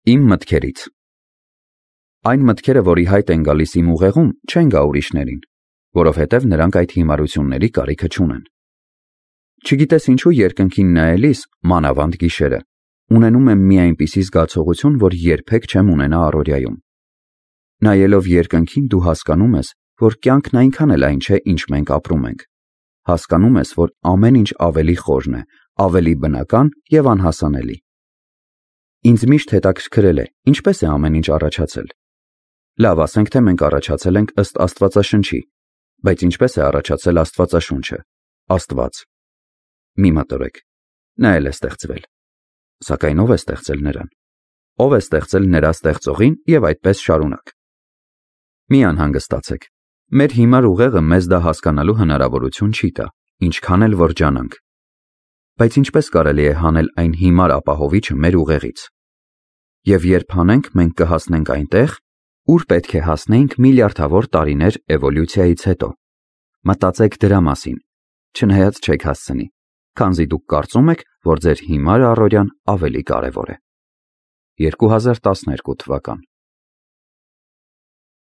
Իմ մտքերից։ Այն մտքերը, որ ի հայտ են գալիս իմ ուղեղում, չեն գա ուրիշներին, որովհետև նրանք այդ հիմարությունների կարիքը չունեն։ Չգիտես ինչու երկնքին նայելիս, մանավանդ գիշերը, ունենում եմ մի այնպիսի զգացողություն, որ երբեք չեմ ունենա առօրյայում։ Նայելով երկնքին դու հասկանում ես, որ կյանքն այնքան էլ այն չէ, ինչ մենք ապրում ենք։ Հասկանում ես, որ ամեն ինչ ավելի խորն է, ավելի բնական և անհասանելի։ Ինձ միշտ հետաքրքրել է, ինչպես է ամեն ինչ առաջացել։ Լավ, ասենք թե մենք առաջացել ենք ըստ Աստվածաշնչի, բայց ինչպես է առաջացել Աստվածաշունչը, Աստված։ Մի մտորեք, նա էլ է ստեղծվել։ Սակայն ով է ստեղծել նրան։ Ով է ստեղծել նրա ստեղծողին և այդպես շարունակ։ Մի անհանգստացեք, մեր հիմար ուղեղը մեզ դա հասկանալու հնարավորություն չի տա, ինչքան էլ որ ջանանք։ Բայց ինչպես կարելի է հանել այն հիմար ապահովիչը մեր ուղեղից։ Եվ երբ հանենք, մենք կհասնենք այնտեղ, ուր պետք է հասնեինք միլիարդավոր տարիներ էվոլյուցիայից հետո։ Մտածեք դրա մասին, չնայած չեք հասցնի, քանզի դուք կարծում եք, որ ձեր հիմար առօրյան ավելի կարևոր է։ 2012 թվական